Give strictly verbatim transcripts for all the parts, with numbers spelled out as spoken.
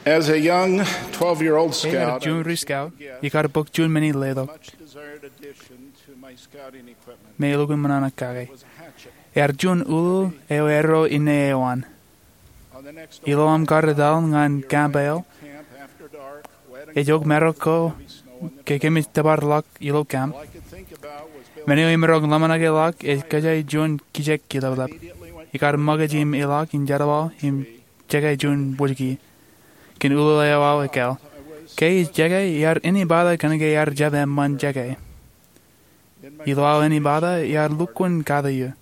As a young twelve-year-old scout, juon ri scout, ikar bōk juon men in letok, much desired addition to my scouting equipment, me elukkuun ṃōṇōṇō kake. Ear juon ulul eo erro inne eo an. Ilo aṃ kar etal ñan camp eo, ejok marok ko ke kōmij tōpar ḷọk ilo camp, men eo imaroñ ḷōmṇak e ḷọk ej kōjā juon kijek kileplep. Ikar ṃōkaj im ilọk in jerbal im jekā juon wōjki kōn ulul eo aō ekāāl. Ke ij jekā, iar ānbata kōnke iar jab eṃṃan jekā. Ilo aō ānbata, iar lukkuun kate eō.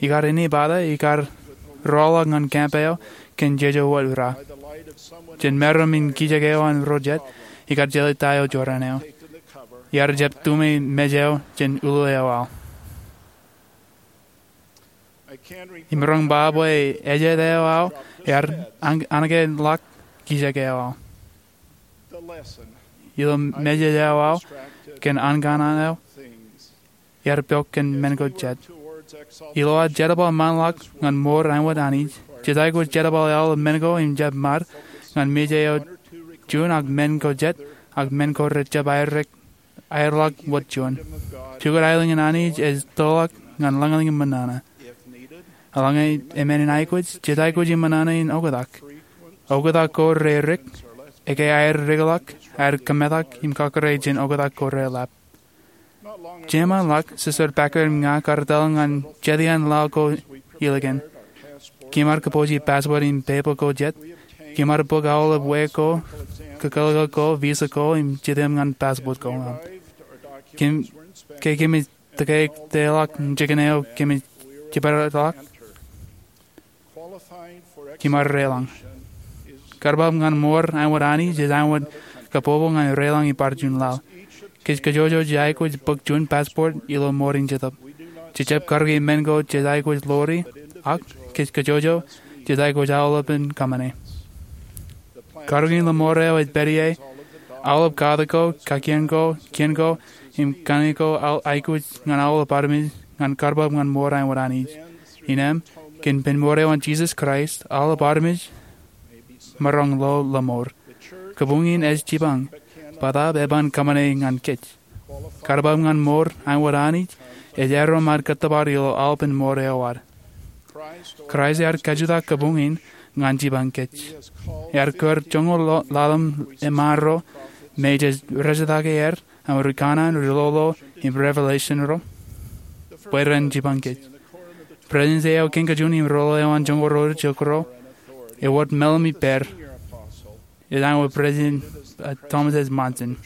Ikar ānbata, ikar rọọlḷọk ñan camp eo kōn jeje wōt ra. Jān maroñ in kijek eo an ro jet, ikar jelōt ta eo jorrāān eo. Iar jab tumi mej eo jān ulul eo aō. Imaroñ ba bwe ejāān eo aō ear an-, anōkḷọk kijek eo aō. Ilo message eo aō kōn ankanaan eo, ear pok kōn men ko jet. Ilo aō jerbal ṃaanḷọk ñan mour āinwōt Anij, jej aikuj jerbal aolep men ko im jab ṃad ñan message eo juon ak men ko jet, ak men ko rej jab aerrek aerḷọk wōt juon. Jukot aelōñ in Anij ej tōḷọk ñan lañlōñ im ṃōṇōṇō. Eḷaññe eṃṃan in aikuj, jej aikuj im ṃōṇōṇō in oktak. Oktak ko rerik, ekwe aer rikḷọk, aer kōmetak im kakōrā jān oktak ko relap. Jeṃaanḷọk, Sister Packer im ña kar etal ñan jet iaan laḷ ko ilikin. Kōm ar kōpooje passport im pepa ko jet. Kōm ar bōk aolep wā ko, kōkōḷḷe ko, visa ko, im jitōm ñan passport ko aṃ. Kōm, ke kōmij tōke tōḷọk jikin eo kōmij jibadḷọk, kōm ar reḷañ. Karbab ñan mour āinwōt Anij ej āinwōt kabbokbok ñan reḷañ ippān juon laḷ. Kōj kajjojo jej aikuj bōk juon passport ilo mour in jetōb. Jej jab karōki men ko jej aikuj ḷoori, ak kōj kajjojo jej aikuj aolepān kōṃṃane. Karōkin laḷ mour eo ej pād ie aolep katak ko, kakien ko, kien ko, im kaṇe ko aikuj ñan aolep armej ñan karbab ñan mour āinwōt Anij. Innām, kōn pen mour eo an Jisōs Kraist, aolep armej maroñ lo laḷ mour. Kabuñ in ej jipañ, bōtaab eban kōṃṃane ñan kōj. Karbab ñan mour āinwōt Anij ej aerro ṃaad kōttōpar ilo aolepān mour eo ad. Kraist ear kajutak kabuñ in ñan jipañ kōj. Ear kūr joñoul ḷalem emaroñ me jej rejjitōk aer aṃ ri kanaan, ri ḷoḷḷo, im revelation ro bwe ren jipañ kōj. President eo kein kajin im ri ḷoḷḷo eo an joñoul ro jokro ewōr meḷeḷe ippād. Ej āinwōt President, uh, Thomas S. Monson.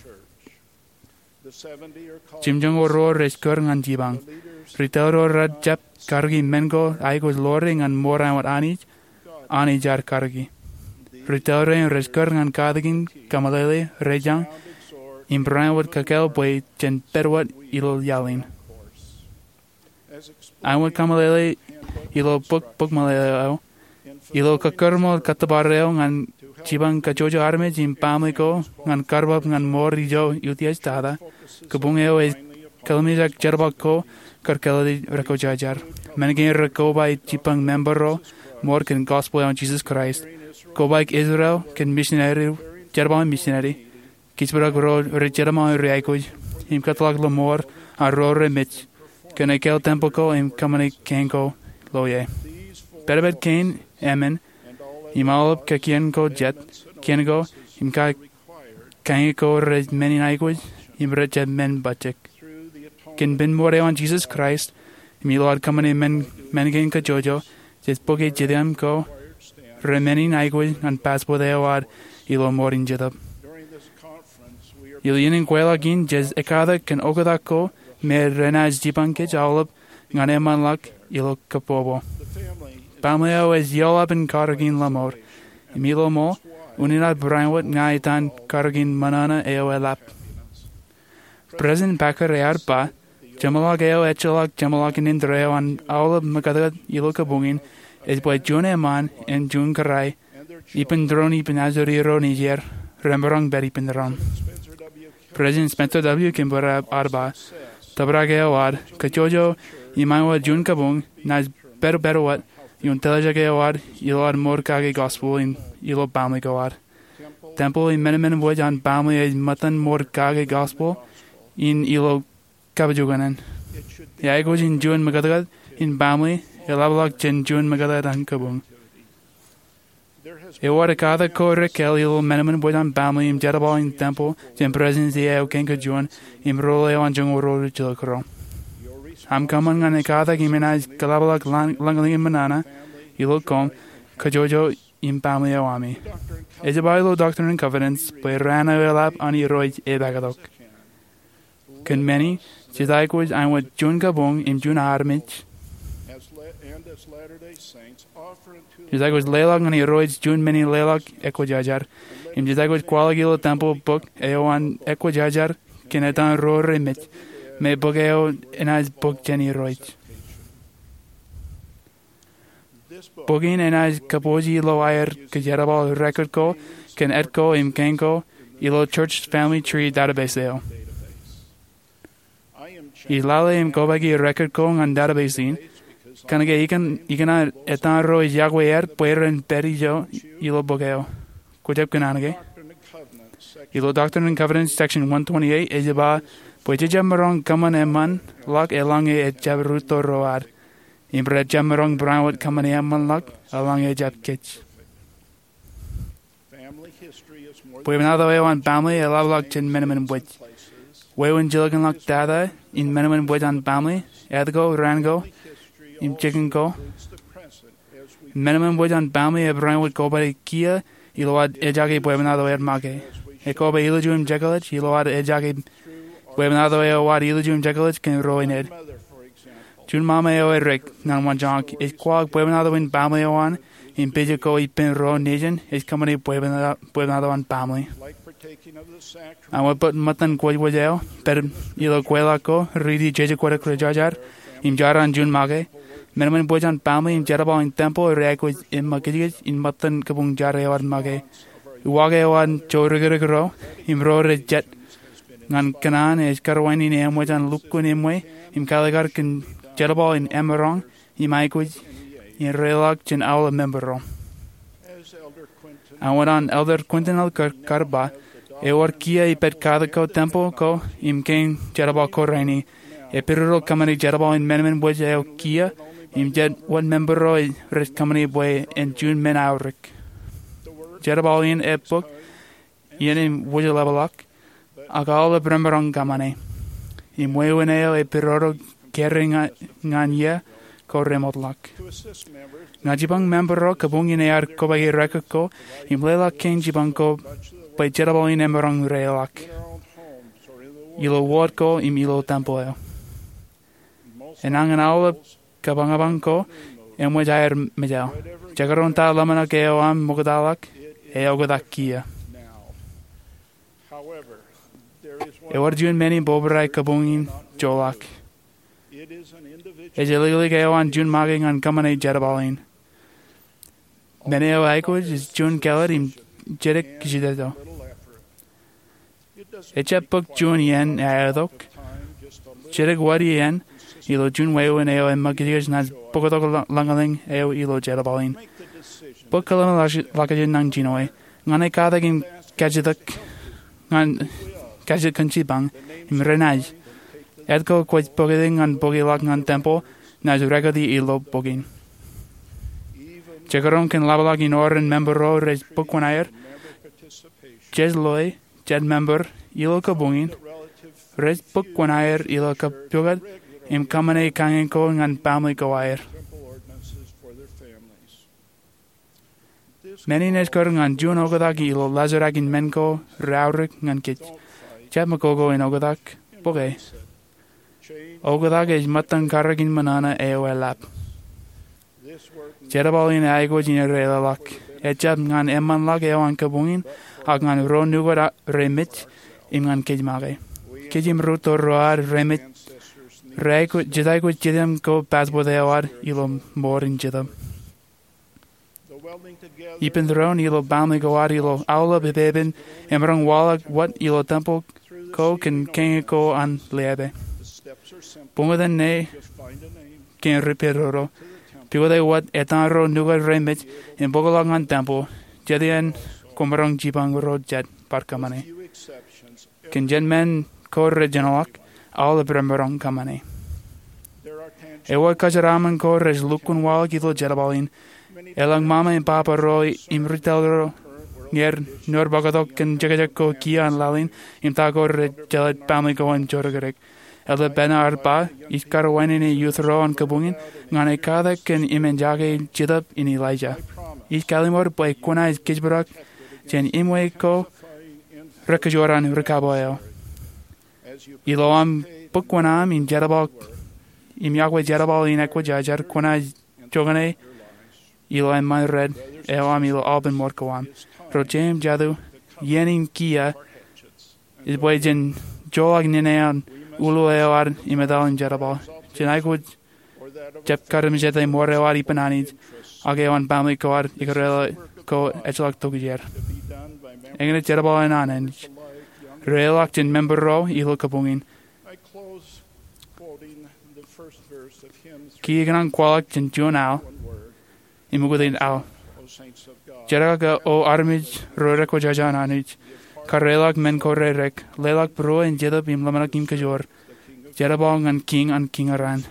Jimjuon ro rej kūr ñan jipañ. Ri tōl ro rej jab karōki men ko aikuj ḷoori ñan mour āinwōt Anij, Anij ear karōki. Ri tōl ro rej kūr ñan katakin kameḷeḷe, rejañ, im barāinwōt kōkāāl bwe jen pād wōt ilo iaḷ in. Āinwōt kameḷeḷe ilo bok, bok meḷeḷe eo, ilo kōkkure ṃool kōttōpar eo ñan jipañ kajjojo armej im baaṃle ko ñan karbab ñan mour ijo utiej tata, kabuñ eo ej kōḷmānjeḷọk jerbal ko kar kōḷḷe rekwojarjar. Men kein rekoba ej jipañ member ro mour kōn gospel eo an Jisōs Kraist. Kobaik Israel kōn misineri, jerbal in misineri. Kijjab ro rej jerbal im rej aikuj im kōtḷọk laḷ mour an ro remej kōn ekāāl tempel ko im kōṃṃane kein ko lo ie. Pedped kein emān im aolep kakien ko jet, kien ko im ka, kañe ko rej men in aikuj im rej jab men bajjek. Kōn pen mour eo an Jisōs Kraist im ilo ad kōṃṃane men, men kein kajjojo, jej bōke jitōm ko remen in aikuj ñan passport eo ad ilo mour in jetōb. Ilo iien in kweilọk in jej ekkatak kōn oktak ko me renaaj jipañ kōj aolep ñan eṃṃanḷọk ilo kōpopo. Baaṃle eo ej ioḷapān karōkin laḷ mour im ilo ṃool unin ad barāinwōt ña etan karōkin ṃōṇōṇō eo eḷap. President Packer ear ba, jeṃḷọk eo ejjeḷọk jeṃḷọkin indeeo an aolep ṃōkātāt ilo kabuñ in ej bwe juon eṃṃaan im juon kōrā ippān tūroon ippān ajri ro nejier remaroñ pād ippān doon. President Spencer W. Kimball ear ba, tōprak eo ad kajjojo im āinwōt juon kabuñ naaj pād, pād wōt ioon tōljek eo ad ilo ad mour kake gospel in ilo baaṃle ko ad. Tempeḷ im men eṃṃan wōj an baaṃle ej ṃōttan ṃool kake gospel in ilo kapijuknen. Eaikuj in juon ṃōkōtkōt in baaṃle eḷapḷọk jān juon ṃōkōtkōt an kabuñ. Ewōr ekkatak ko rekkal ilo men eṃṃan wōj an baaṃle im jerbal in tempeḷ jān Presidensi eo kein kōn juon im rool eo an joñoul ro rijjilōk ro. Aṃ kōṃṃan ñan ekkatak im enaaj kōḷapḷọk lañ-, lañlōñ in ṃōṇōṇō ilo koṃ, kōjojō im baaṃle eo ami. Ej ba ilo Doctrine and Covenants bwe raan eo eḷap an Irooj epakatok. Kōn meni, jej aikuj āinwōt juon kabuñ im juon armej. Jej aikuj leḷọk ñan Irooj juon men in leḷọk ekwōjarjar. Im jej aikuj kwaḷọk ilo tempeḷ bok eo an ekwōjarjar kōn etan ro remej, me bok eo enaaj bōk jān Irooj. Bok in enaaj kōpooje ilo aer kōjerbal record ko kōn et ko im kein ko ilo Church Family Tree database eo. Ij lale im kobaiki record ko ñan database in, kōnke ikōn, ikōṇaan etan ro ej yokwe aer bwe ren pād ijo ilo bok eo. Kwōjab kōṇaan ke? Ilo Doctrine and Covenants section one twenty-eight ej ba bwe jej jab maroñ kōṃṃan eṃṃanḷọk eḷaññe ejjab rūtto ro ad. Im rej jab maroñ bareinwōt kōṃṃane eṃṃanḷọk eḷaññe ejjab kōj. Bwebwenato eo an baaṃle eḷapḷọk jān men eṃṃan wōj. Wāween jilkinḷọk data in men eṃṃan wōj an baaṃle, et ko, raan ko, im jikin ko. Men eṃṃan wōj an baaṃle ebareinwōt kobatok kiiō ilo ad ejake bwebwenato eo ad make. Ekoba ilju im jekḷaj ilo ad ejake bwebwenato eo ad ilju im jekḷaj kōn ro in ed. Juon ṃaṃa eo edik ñan waanjoñak ej kwaḷọk bwebwenato in baaṃle eo an im pija ko ippān ro nejin ej kōṃṃane bwebwenato, bwebwenato an baaṃle. Āinwōt bōk ṃōttan kwōjkwōj eo, pād ilo kweilọk ko, riiti jeje kwōdik rijjarjar, im jar an juon make, men eṃṃan wōj an baaṃle im jerbal in tempeḷ rej aikuj eṃṃakijkij in ṃōttan kabuñ jar eo ad make. Uwaak eo an joorōkrōk ro im ro rej jet ñan kōṇaan ej karuwainene eṃōj an lukkuun eṃṃan im kaalikkar kōn jerbal in emaroñ im aikuj in reiḷọk jān aolep member ro. Āinwōt an Elder Quentin L. Cook kar ba, ewōr kiiō ipād katak ko tempeḷ ko im kein jerbal ko rainin. Epidodo kōṃṃane jerbal in men eṃṃan wōj eo kiiō im jet wōt member ro rej kōṃṃane bwe en juon men aorōk. Jerbal in ej bōk iien im wōjḷapḷọk, ak aolep remaroñ kōṃṃane. Im wāween eo epidodo kōrā ñan, ñan iiō ko remootḷọk. Ña jipañ member ro kabuñ in ear kobaiki record ko im leḷọk kein jipañ ko bwe jerbal in emaroñ reiḷọk ilo wōt ko im ilo tempeḷ eo. Enañin aolep kapañpañ ko eṃōj aer mejaḷ. Jekdọọn ta ḷōmṇak eo aṃ ṃoktaḷọk, eoktak kiiō. Ewōr juon men in bōbrae kabuñ in joḷọk. Ej āliklik eo an juon make ñan kōṃṃane jerbal in. Men eo aikuj ej juon kāālōt im jidik kajjitōk. Ejjab bōk juon iien aetok. Jidik wōt iien ilo juon wāween eo eṃṃakijkij naaj bōktok lañ-, lañlōñ eo ilo jerbal in. Bōk kōḷmānḷọkjeṇ nañinmej. Ñan ekkatak im kajjitōk, ñan kajjitōk kōn jipañ, im renaaj. Et ko kwōj bōktok ñan bōkḷọk ñan tempeḷ, naaj rekoti ilo bok in. Jekdọọn kōn ḷapḷọk in oren member ro rej bōk kuṇaer, jej loi, jet member ilo kabuñ in, rej bōk kuṇaer ilo kōppukot im kōṃṃane kañin ko ñan baaṃle ko aer. Men in ej kar ñan juon oktak ilo laajrak in men ko reaorōk ñan kōj. Jab mokoko in oktak, bōke. Oktak ej ṃōttan karōk in ṃōṇōṇō eo eḷap. Jerbal in aikuj in reiḷọk. Ejjab ñan eṃṃanḷọk eo an kabuñ in, ak ñan ro nukot remej, im ñan kōj make. Kōj im rūtto ro ad remej, rej aikuj, jej aikuj jitem ko passport eo ad ilo mour in jetōb. Ippān doon ilo baaṃle ko ad ilo aolep epepen emaroñ waḷọk wōt ilo tempeḷ ko kōn kañin ko an leape. Buñtōn ṇe kein ri pedodo. Pukot wōt etan ro nukot remej im bōkḷọk ñan tempeḷ. Jet iien koṃaroñ jipañ ro jet bar kōṃṃane. Kōn jen men ko rej jenoḷọk, aolep remaroñ kōṃṃane. Ewōr kōjeraaṃṃan ko rej lukkuun waḷọk ilo jerbal in. Eḷaññe ṃaṃa im baba ro im ri tōl ro ñe ren nour bōktok kōn jekjek ko kiiō an laḷ in im ta ko rej jelōt baaṃle ko an jorōkrōk. Elder Bednar ear ba, ij karuwainene youth ro an kabuñ in ñan ekkatak kōn emān jake jetōb in Elijah. Ij kalliṃur bwe kwōnaaj kōjparok jān eṃṃan ko rekajoor an ri kabwe eo. Ilo aṃ bōk kuṇaaṃ im jerbal, im yokwe jerbal in ekwōjarjar, kwōnaaj jokane ilo eṃṃan red eo aṃ ilo aolepān ṃōr ko aṃ. Ro jeiū im jatū, iien in kiiō ej bwe jen joḷọk nene an ulo eo ad im etal in jerbal. Jen aikuj jab karimjete ṃor eo ad ippān Anij, ak eo an baaṃle ko ad ikōrā ko ejjeḷọk tokjāer. Eñin ej jerbal in an Anij. Reḷọk jān member ro ilo kabuñ in. Kiiō ikōṇaan kwaḷọk jān juon al im ukōt in al. Jerkakakō, O armej ro rekwōjarjar an Anij, kareḷọk men ko rerek, leḷọk būruō in jetōb im ḷōmṇak im kajoor, jerbal ñan Kiiñ an kiiñ raṇ.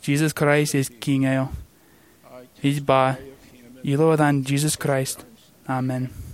Jisōs Kraist ej Kiiñ eo. Ij ba ilo etan Jisōs Kraist, amen.